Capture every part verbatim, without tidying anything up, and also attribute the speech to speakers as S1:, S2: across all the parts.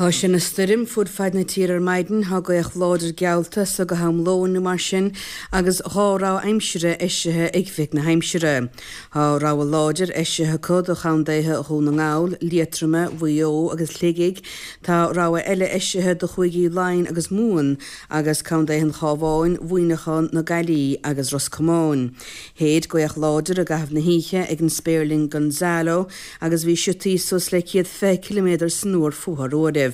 S1: Tá sé ina stoirm fud fad na tíre ar maidin, tá gaoth láidir geallta as so go ham lóin nó mar sin agus dhá rabhadh aimsire eisithe ag Oifig na hAimsire. Tá rabhadh láidir eisithe acu do chontaetha Dhún na nGall, Liatroma, Mhaigh Eo agus Shligigh. Tá rabhadh eile eisithe do chúigí Laighean agus Mumhan agus contaetha an Chabháin, Mhuineacháin, na Gaillimhe agus Ros Comáin. Shéid gaoth láidir i gcaitheamh na hoíche ag an spéirling Gonzalo agus bhí siotaí suas le céad fiche ciliméadar san uair fúthu ar uairibh.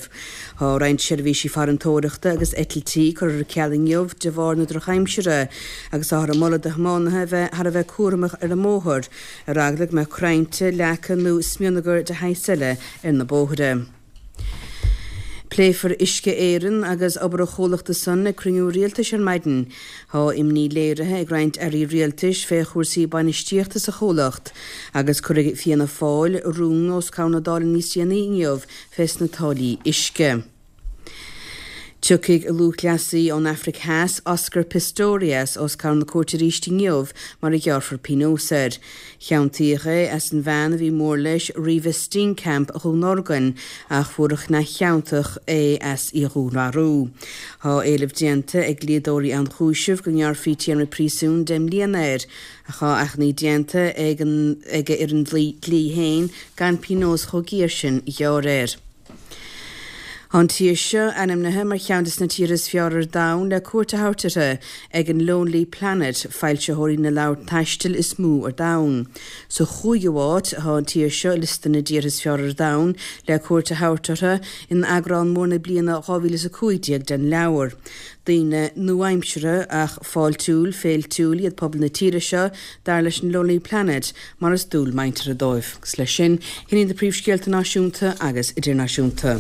S1: Tá roinnt seirbhísí farantóireachta agus eitiltí curtha ar ceal inniu de bharr na drochaimsire agus táthar ag moladh do thiománaithe a bheith thar a bheith cúramach ar an mbóthar, ar eagla go mbeadh crainnte, leaca nó smionagar de shaghas eile ar na bóithre. Pléifear Uisce Éireann agus obair an chomhlachta san ag cruinniú rialtais ar maidin. Tá imní léirithe ag roinnt airí rialtais fé chúrsaí bainistíochta sa chomhlacht agus cuirfidh Fianna Fáil rún os comhair na Dála níos déanaí inniu fés na táillí uisce. Tiocfaidh lúthchleasaí ón Afraic Theas, Oscar Pistorius, os comhair na cúirte arís inniu mar a ghearrfar pionós air. Ciontaíodh é as an bhean a bhí mór leis, Reeva Steenkamp, a dhúnorgain, ach fuarthas neamhchiontach é as í a dhúnmharú. Tá éileamh déanta ag dlíodóirí ionchúisimh go ngearrfaí téarma príosúin deich mbliana air, ach tá achainí déanta ag an ag a fhoireann dlí féin gan pionós chomh géar sin a ghearradh air. Tá an tír seo ainmnithe mar cheann de na tíortha is fearr ar domhan le cuairt a thabhairt uirthi ag an Lonely Planet, foilsitheoirí na leabhar taistil is mó ar domhan. Sa chúigiú háit atá an tír seo i liosta na dtíortha is fearr ar domhan le cuairt a thabhairt orthu in eagrán mór na bliana dhá mhíle is a cúig déag den leabhar. Daoine nua-aimseartha ach fáiltiúil, féiltiúil iad pobal na tíre seo, dar leis an Lonely Planet, mar is dual muinteartha dóibh. Agus leis sin, sin iad na príomhscéalta náisiúnta agus idirnáisiúnta.